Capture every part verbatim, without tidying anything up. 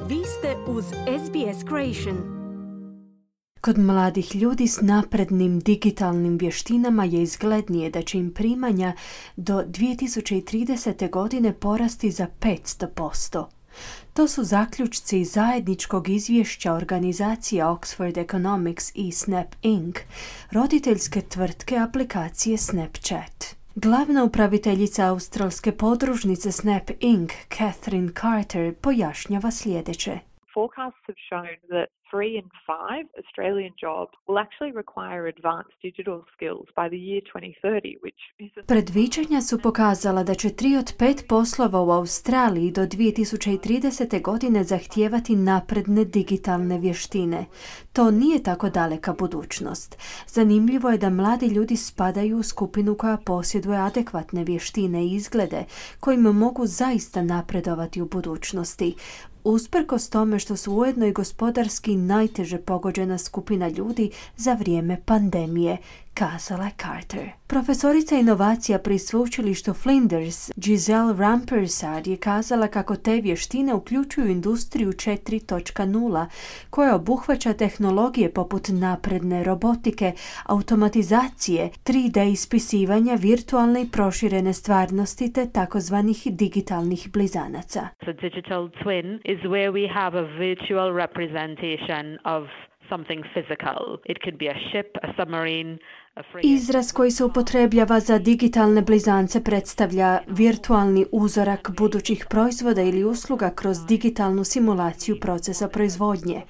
Vi ste uz S B S Creation. Kod mladih ljudi s naprednim digitalnim vještinama je izglednije da će im primanja do dvije tisuće tridesete. godine porasti za petsto posto. To su zaključci zajedničkog izvješća organizacija Oxford Economics i Snap incorporated, roditeljske tvrtke aplikacije Snapchat. Glavna upraviteljica australske podružnice Snap incorporated, Catherine Carter, pojašnjava sljedeće. Forecasts have shown that three in five Australian jobs will actually require advanced digital skills by the year twenty thirty, which is a... Predviđanja su pokazala da će tri od pet poslova u Australiji do dvije tisuće tridesete. godine zahtijevati napredne digitalne vještine. To nije tako daleka budućnost. Zanimljivo je da mladi ljudi spadaju u skupinu koja posjeduje adekvatne vještine i izglede kojim mogu zaista napredovati u budućnosti. Usprkos tome što su ujedno i gospodarski najteže pogođena skupina ljudi za vrijeme pandemije, kazala je Carter. Profesorica inovacija pri sveučilištu Flinders, Giselle Rampersad, je kazala kako te vještine uključuju industriju četiri točka nula, koja obuhvaća tehnologije poput napredne robotike, automatizacije, tri D ispisivanja, virtualne i proširene stvarnosti te takozvanih digitalnih blizanaca. The digital twin is where we have a virtual representation of something physical. It could be a ship, a submarine, a frigate. Izraz koji se upotrebljava za digitalne blizance predstavlja virtualni uzorak budućih proizvoda ili usluga kroz digitalnu simulaciju procesa proizvodnje.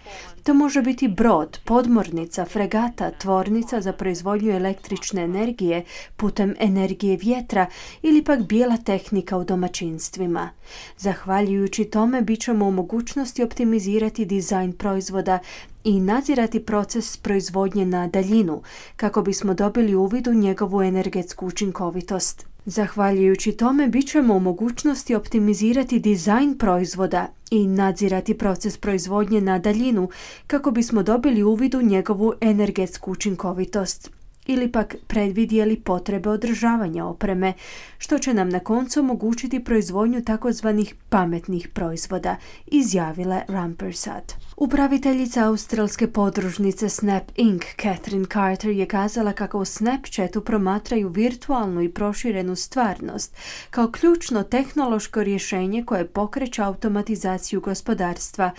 To može biti brod, podmornica, fregata, tvornica za proizvodnju električne energije putem energije vjetra ili pak bijela tehnika u domaćinstvima. Zahvaljujući tome bit ćemo u mogućnosti optimizirati dizajn proizvoda i nadzirati proces proizvodnje na daljinu, kako bismo dobili uvid u njegovu energetsku učinkovitost. Zahvaljujući tome bit ćemo u mogućnosti optimizirati dizajn proizvoda i nadzirati proces proizvodnje na daljinu, kako bismo dobili uvid u njegovu energetsku učinkovitost ili pak predvidjeli potrebe održavanja opreme, što će nam na koncu omogućiti proizvodnju takozvanih pametnih proizvoda, izjavila Rampersad. Upraviteljica australske podružnice Snap incorporated, Catherine Carter, je kazala kako u Snapchatu promatraju virtualnu i proširenu stvarnost kao ključno tehnološko rješenje koje pokreće automatizaciju gospodarstva,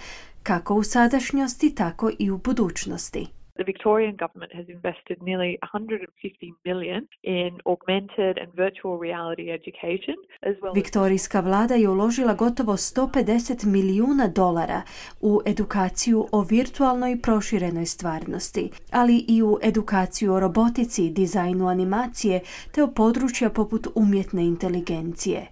kako u sadašnjosti, tako i u budućnosti. The Victorian government has invested nearly one hundred fifty million in augmented and virtual reality education, as well as... Viktorijska vlada je uložila gotovo sto pedeset milijuna dolara u edukaciju o virtualnoj i proširenoj stvarnosti, ali i u edukaciju o robotici, dizajnu animacije te o područja poput umjetne inteligencije.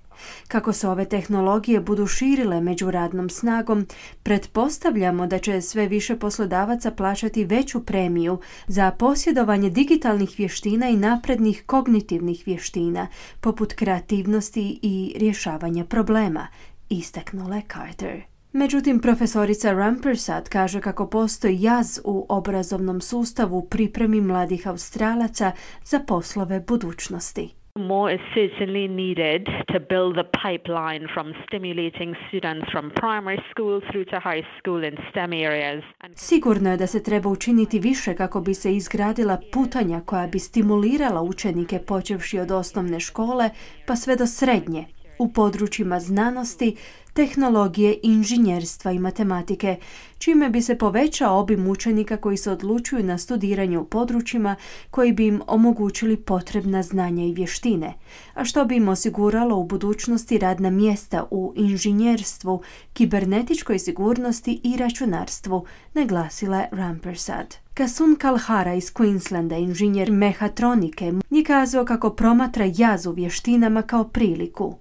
Kako se ove tehnologije budu širile među radnom snagom, pretpostavljamo da će sve više poslodavaca plaćati veću premiju za posjedovanje digitalnih vještina i naprednih kognitivnih vještina, poput kreativnosti i rješavanja problema, istaknula je Carter. Međutim, profesorica Rampersad kaže kako postoji jaz u obrazovnom sustavu u pripremi mladih Australaca za poslove budućnosti. More is certainly needed to build the pipeline from stimulating students from primary school through to high school in STEM areas. Sigurno je da se treba učiniti više kako bi se izgradila putanja koja bi stimulirala učenike počevši od osnovne škole pa sve do srednje u područjima znanosti, tehnologije, inženjerstva i matematike, čime bi se povećao obim učenika koji se odlučuju na studiranje u područjima koji bi im omogućili potrebna znanja i vještine, a što bi im osiguralo u budućnosti radna mjesta u inženjerstvu, kibernetičkoj sigurnosti i računarstvu, naglasila je Rampersad. Kasun Kalhara iz Queenslanda, inženjer mehatronike, je kazao kako promatra jaz u vještinama kao priliku.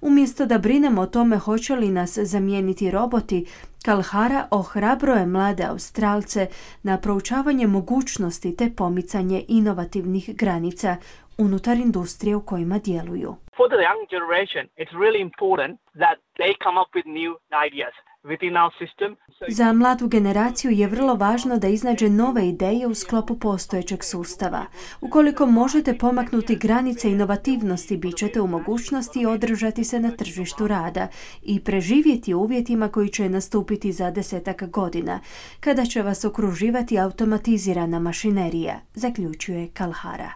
Umjesto da brinemo o tome hoće li nas zamijeniti roboti, Kalhara ohrabruje mlade Australce na proučavanje mogućnosti te pomicanje inovativnih granica unutar industrije u kojima djeluju. For the young generation, it's really important that they come up with new ideas. within our system. Za mladu generaciju je vrlo važno da iznađe nove ideje u sklopu postojećeg sustava. Ukoliko možete pomaknuti granice inovativnosti, bit ćete u mogućnosti održati se na tržištu rada i preživjeti u uvjetima koji će nastupiti za desetak godina, kada će vas okruživati automatizirana mašinerija, zaključuje Kalhara.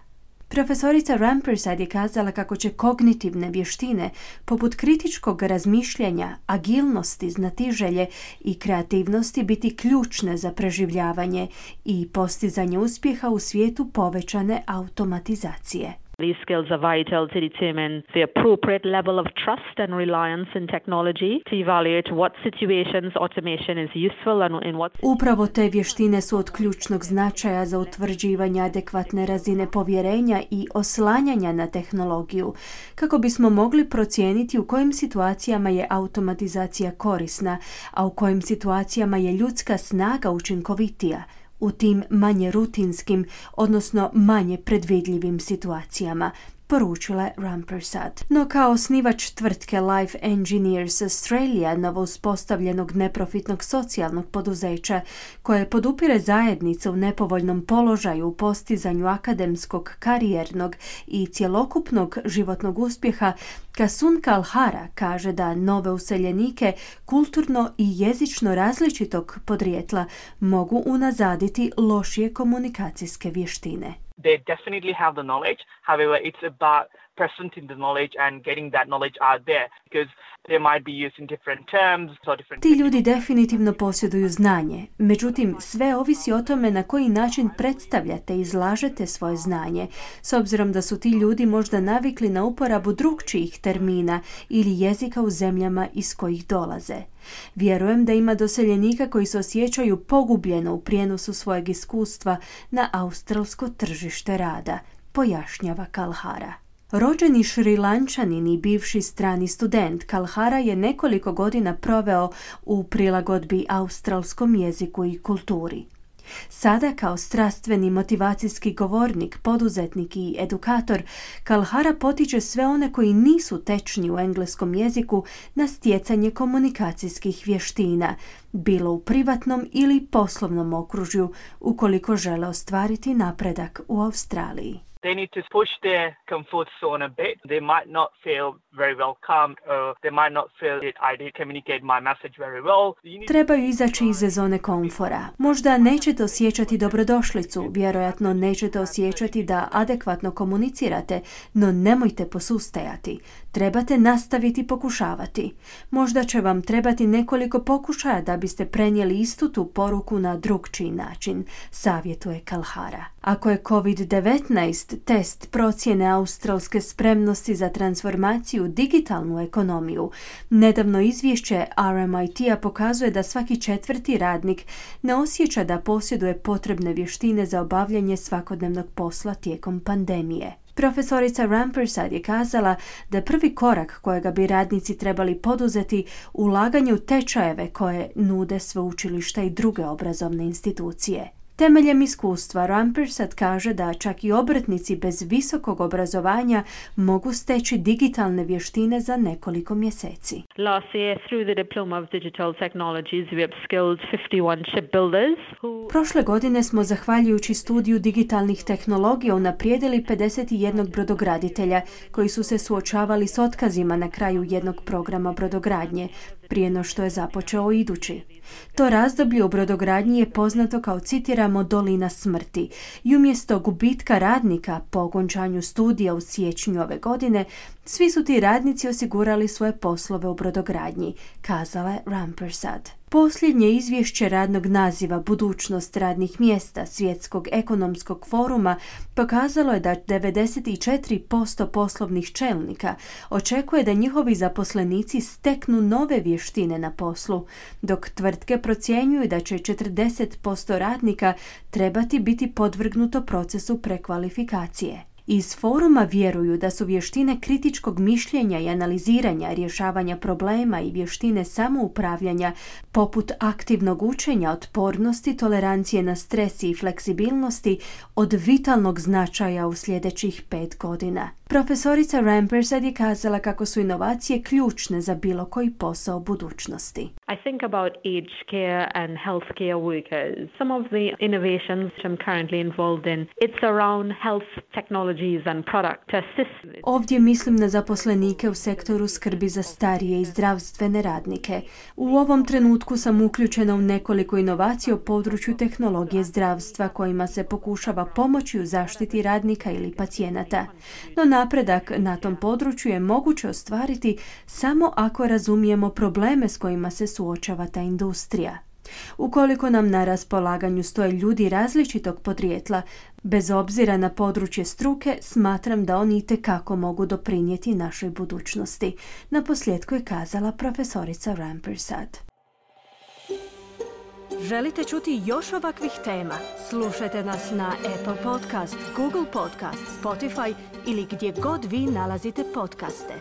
Profesorica Rampersad je kazala kako će kognitivne vještine, poput kritičkog razmišljanja, agilnosti, znatiželje i kreativnosti biti ključne za preživljavanje i postizanje uspjeha u svijetu povećane automatizacije. These skills are vital to determine the appropriate level of trust and reliance in technology, to evaluate what situations automation is useful and in what... Upravo te vještine su od ključnog značaja za utvrđivanje adekvatne razine povjerenja i oslanjanja na tehnologiju, kako bismo mogli procijeniti u kojim situacijama je automatizacija korisna, a u kojim situacijama je ljudska snaga učinkovitija, u tim manje rutinskim, odnosno manje predvidljivim situacijama, poručila je Rampersad. No kao osnivač tvrtke Life Engineers Australia, novo uspostavljenog neprofitnog socijalnog poduzeća, koje podupire zajednice u nepovoljnom položaju u postizanju akademskog, karijernog i cjelokupnog životnog uspjeha, Kasun Kalhara kaže da nove useljenike kulturno i jezično različitog podrijetla mogu unazaditi lošije komunikacijske vještine. They definitely have the knowledge. However, it's about presenting the knowledge and getting that knowledge out there, because they might be using different terms or different... Ti ljudi definitivno posjeduju znanje, međutim sve ovisi o tome na koji način predstavljate i izlažete svoje znanje, s obzirom da su ti ljudi možda navikli na uporabu drukčijih termina ili jezika u zemljama iz kojih dolaze. Vjerujem da ima doseljenika koji se osjećaju pogubljeno u prijenosu svojeg iskustva na australsko tržište rada, pojašnjava Kalhara. Rođeni Šrilančanin i bivši strani student, Kalhara je nekoliko godina proveo u prilagodbi australskom jeziku i kulturi. Sada kao strastveni motivacijski govornik, poduzetnik i edukator, Kalhara potiče sve one koji nisu tečni u engleskom jeziku na stjecanje komunikacijskih vještina, bilo u privatnom ili poslovnom okružju, ukoliko žele ostvariti napredak u Australiji. They need to push their comfort zone a bit. They might not feel very welcomed, or they might not feel that I did communicate my message very well. Trebaju izaći iz zone komfora. Možda nećete osjećati dobrodošlicu, vjerojatno nećete osjećati da adekvatno komunicirate, no nemojte posustajati. Trebate nastaviti pokušavati. Možda će vam trebati nekoliko pokušaja da biste prenijeli istu tu poruku na drukčiji način, savjetuje Kalhara. Ako je kovid devetnaest test procjene australske spremnosti za transformaciju u digitalnu ekonomiju, nedavno izvješće R M I T-a pokazuje da svaki četvrti radnik ne osjeća da posjeduje potrebne vještine za obavljanje svakodnevnog posla tijekom pandemije. Profesorica Rampersad je kazala da je prvi korak kojega bi radnici trebali poduzeti ulaganje u tečajeve koje nude sveučilišta i druge obrazovne institucije. Temeljem iskustva, Rampersad kaže da čak i obrtnici bez visokog obrazovanja mogu steći digitalne vještine za nekoliko mjeseci. Last year, through the Diploma of Digital Technologies, we upskilled fifty-one shipbuilders who... Prošle godine smo, zahvaljujući studiju digitalnih tehnologija, unaprijedili pedeset jedan brodograditelja koji su se suočavali s otkazima na kraju jednog programa brodogradnje, prije no što je započeo idući. To razdoblje u brodogradnji je poznato kao, citiramo, dolina smrti i umjesto gubitka radnika po okončanju studija u siječnju ove godine, svi su ti radnici osigurali svoje poslove u brodogradnji, kazala je Rampersad. Posljednje izvješće radnog naziva Budućnost radnih mjesta Svjetskog ekonomskog foruma pokazalo je da devedeset četiri posto poslovnih čelnika očekuje da njihovi zaposlenici steknu nove vještine na poslu, dok tvrtke procjenjuju da će četrdeset posto radnika trebati biti podvrgnuto procesu prekvalifikacije. Iz foruma vjeruju da su vještine kritičkog mišljenja i analiziranja, rješavanja problema i vještine samoupravljanja, poput aktivnog učenja, otpornosti, tolerancije na stres i fleksibilnosti, od vitalnog značaja u sljedećih pet godina. Profesorica Rampersad je kazala kako su inovacije ključne za bilo koji posao budućnosti. I think about aged care and healthcare workers. Some of the innovations I'm currently involved in, it's around health technologies and product to assist. Ovdje mislim na zaposlenike u sektoru skrbi za starije i zdravstvene radnike. U ovom trenutku sam uključena u nekoliko inovacija u području tehnologije zdravstva kojima se pokušava pomoći u zaštiti radnika ili pacijenata. No napredak na tom području je moguće ostvariti samo ako razumijemo probleme s kojima se suočava ta industrija. Ukoliko nam na raspolaganju stoje ljudi različitog podrijetla, bez obzira na područje struke, smatram da oni itekako mogu doprinijeti našoj budućnosti. Naposljetku je kazala profesorica Rampersad. Želite čuti još ovakvih tema? Slušajte nas na Apple Podcast, Google Podcast, Spotify ili gdje god vi nalazite podcaste.